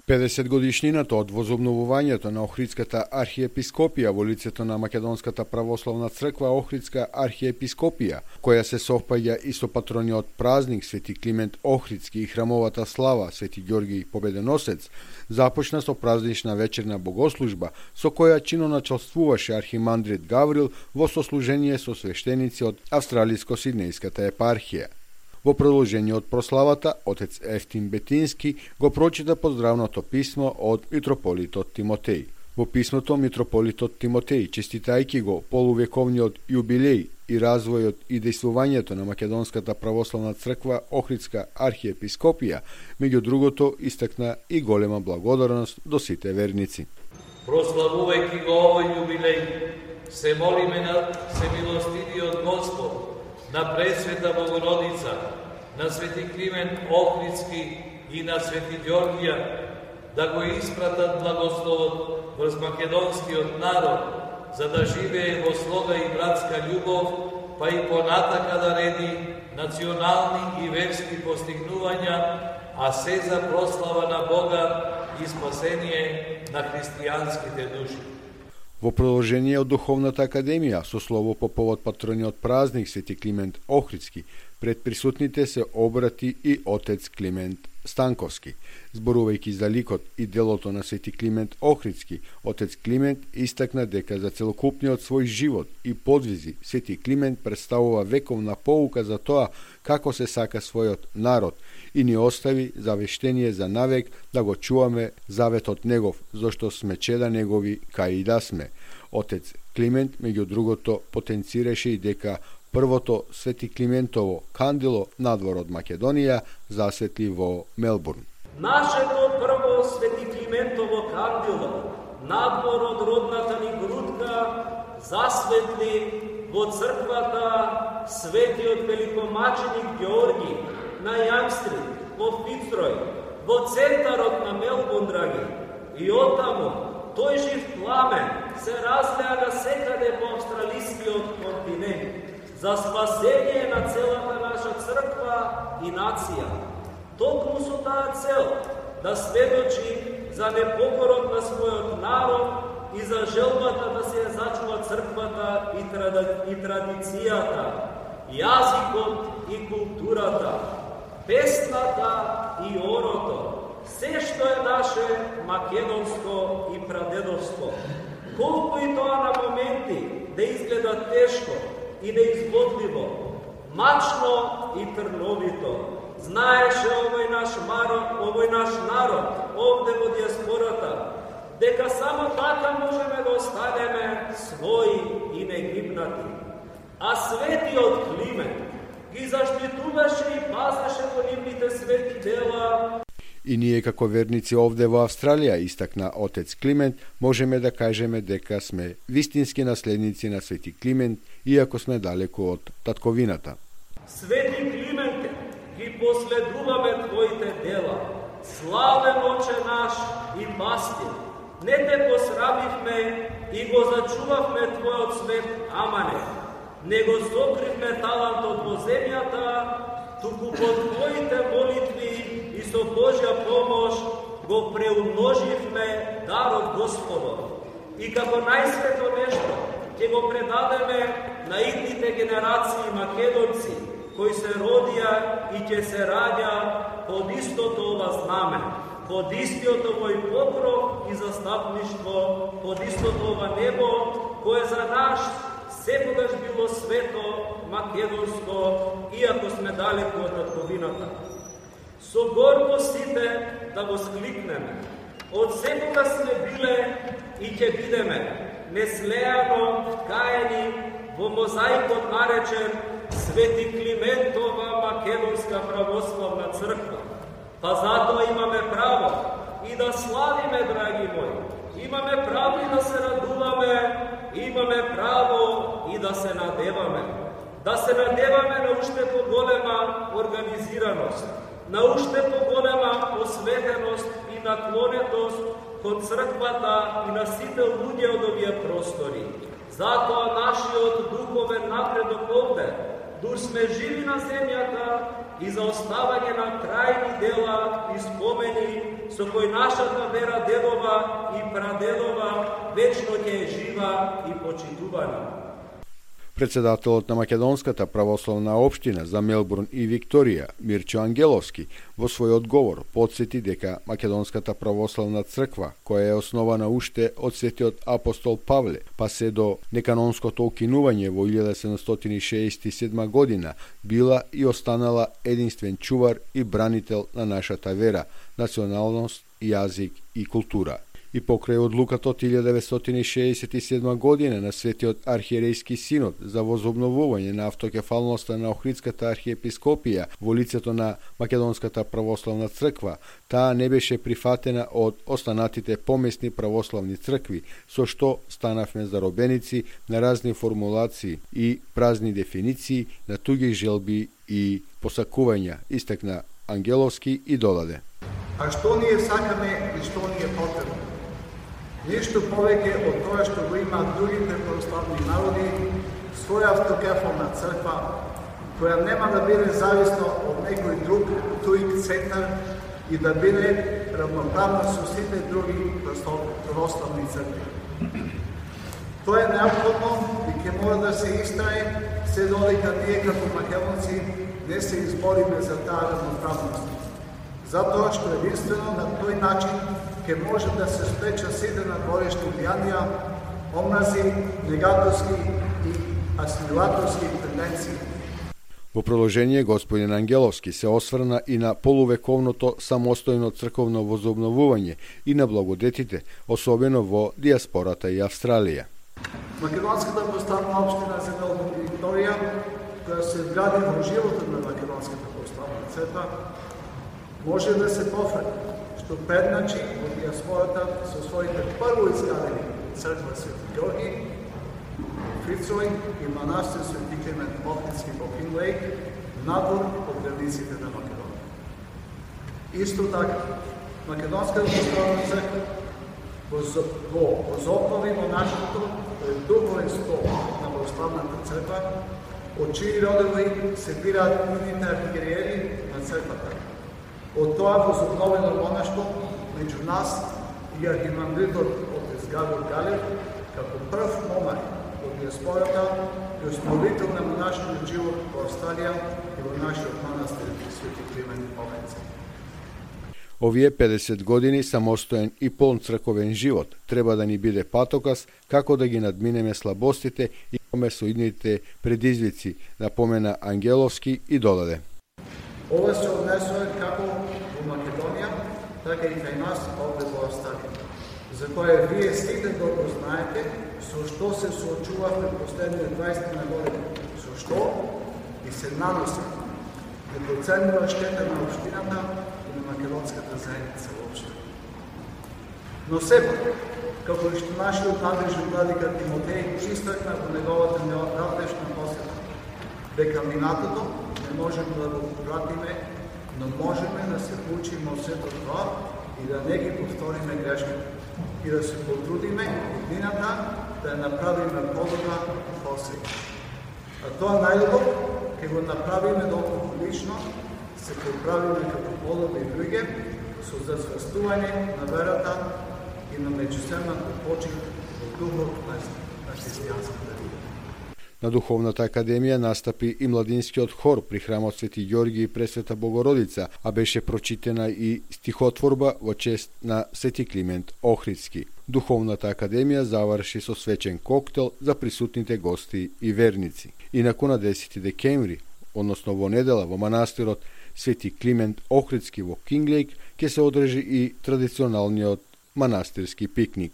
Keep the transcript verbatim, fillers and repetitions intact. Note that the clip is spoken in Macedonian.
педесет годишнината од возобновувањето на Охридската архиепископија во лицето на Македонската православна црква Охридска архиепископија, која се совпаѓа и со патрониот празник Свети Климент Охридски и храмовата слава Свети Ѓорги Победоносец, започна со празнична вечерна богослужба со која чиноначалствуваше архимандрит Гаврил во сослужение со свештеници од Австралиско-Сиднејската епархија. Во продолжение од прославата, отец Ефтим Бетински го прочита поздравното писмо од митрополитот Тимотеј. Во писмото митрополитот Тимотеј, честитајќи го полувековниот јубилеј и развојот и дејствувањето на Македонската православна црква Охридска архиепископија, меѓу другото истакна и голема благодарност до сите верници. Прославувајќи го овој јубилеј, се молиме на Всемилостивиот Господ, на Пресвета Богородица, на Свети Климент Охридски и на Свети Ѓоргија, да го испратат благословот врз македонскиот народ, за да живее во слога и братска љубов, па и понатака да реди национални и верски постигнувања, а се за прослава на Бога и спасение на христијанските души. Во продолжение од Духовната академија, со слово по повод патрониот празник Свети Климент Охридски, пред присутните се обрати и отец Климент Станковски. Зборувајќи за ликот и делото на Свети Климент Охридски, отец Климент истакна дека за целокупниот свој живот и подвизи Свети Климент представува вековна поука за тоа како се сака својот народ и ни остави завештение за навек да го чуваме заветот негов, зашто сме чеда негови кај и да сме. Отец Климент, меѓу другото, потенцираше и дека првото Свети Климентово кандило надвор од Македонија засветли во Мелбурн. Нашето прво Свети Климентово кандило надвор од родната ни грудка засветли во црквата Светиот великомаченик Ѓорги на Јамстрит, во Фицрој, во центарот на Мелбурн, драги. И оттаму тој жив пламен се разлега секаде по австралискиот континент за спасение на целата наша црква и нација. Токму со таа цел да сведочи за непокорот на својот народ и за желбата да се зачува црквата и, трад... и традицијата, јазикот и културата, песната и орото, се што е наше македонско и прадедовско. Колку и тоа на моменти да изгледа тешко и неизгодливо, мачно и трновито, знаеше овој наш народ, овој наш народ, овде во диаспората, дека само така можеме да останеме своји и негибнати. А Светиот Климент ги заштитуваше и пазеше во нивните свети дела. И ние како верници овде во Австралија, истакна отец Климент, можеме да кажеме дека сме вистински наследници на Свети Климент, иако сме далеку од татковината. Свети Клименте, ги последуваме твоите дела. Славен Оче наш и пастир, не те посрамивме и го зачувавме твојот свет аманет. Не го сокривме талантот во земјата, туку по твоите молитви и со Божја помош го преумноживме дарот Господов. И како најсвето нешто ќе го предадеме на идните генерации македонци, кои се родија и ќе се раѓа под истото ова знаме, под истиот овој покров и застапништво, под истото ова небо, кое за наш секогаш било свето, македонско, иако сме далеку од татковината. Со горко сите да го скликнеме. Од секога сме биле и ќе бидеме неслеано вкаени во мозаикот наречен Свети Климентова Македонска православна црква. Па затоа имаме право и да славиме, драги мои. Имаме право и да се радуваме, имаме право и да се надеваме. Да се надеваме на уште поголема организираност, на уште поголема посветеност и наклонетост кон црквата и на сите луѓе од овие простори. Затоа нашиот духовен напредок овде, дур сме живи на земјата, и за оставање на трајни дела и спомени со кои нашата вера дедова и прадедова вечно ќе е жива и почитувана. Председателот на Македонската православна општина за Мелбурн и Викторија, Мирчо Ангеловски, во свој одговор потсети дека Македонската православна црква, која е основана уште од светиот апостол Павле, па се до неканонското укинување во илјада седумстотини шеесет и седма година, била и останала единствен чувар и бранител на нашата вера, националност, јазик и култура. И покрај одлуката од илјада деветстотини шеесет и седма година на Светиот архиерейски синод за возобновување на автокефалноста на Охридската архиепископија во лицето на Македонската православна црква, таа не беше прифатена од останатите помесни православни цркви, со што станавме заробеници на разни формулации и празни дефиниции на туги желби и посакувања, истакна Ангеловски и додаде. А што ние сакаме и што ни е потребно? Ништо повеќе од тоа што го имаат другите православни народи, своја автокефална црква, која нема да биде зависна од некој друг туик центар и да биде равноправна со сите други православни цркви. Тоа е необходно и ќе мора да се истрае се додека ние како македонци не се избориме за таа равноправност. Затоа што единствено на тој начин ќе може да се спречат сите надворешни влијанија, омрази, негативски и асимилаторски тенденции. Во продолжение, господин Ангеловски се осврна и на полувековното самостојно црковно возобновување и на благодетите, особено во диаспората и Австралија. Македонската православна општина за Мелбурн и Викторија, која се вгради во животот на Македонската православна црква, може да се пофрли што предначи во диаспората со своите прво изградени црква Свети Георги, Фрицој и манастир Свети Климент Охридски во Кинглејк, надвор од границите на Македонија. Исто така, Македонската православна црква во возобнови монашеството пред духовен стол на православната црква, од чии родови се бираат идните архиереи на црквата. Од тоа возобновено монаштво меѓу нас и архимандритот отец Гавор Галев, како прв момак од диаспората и основител на монашниот живот во Австралија и во нашиот манастир Свети Климент Охридски. Овие педесет години самостоен и полн црковен живот треба да ни биде патоказ како да ги надминеме слабостите и комесоидните предизвици, напомена Ангеловски и додаде. Ова се однесува како во Македонија, така и кај нас овде во Австралија, за која вие сите добро знаете со што се соочувавме последните дваесет години, со што и се наноси непроценлива штета на општината и на македонската заедница воопшто. Но сепак, како што нашиот надлежен владика Тимотеј истакна во неговата неодавнешна посета, дека минатото не можеме да го пратиме, но можеме да се поучиме од сето тоа и да не ги повториме грешките и да се потрудиме годината да ја направиме подобра посеја. А тоа најдобро ќе го направиме доколку лично се поправиме како подобри луѓе со засвестување на верата и на меѓусебната почит во духот на христијанската религија. На Духовната академија настапи и младинскиот хор при храмот Свети Ѓорги и Пресвета Богородица, а беше прочитена и стихотворба во чест на Свети Климент Охридски. Духовната академија заврши со свечен коктел за присутните гости и верници. Инаку на десети декември, односно во недела во манастирот Свети Климент Охридски во Кинглејк, ќе се одржи и традиционалниот манастирски пикник.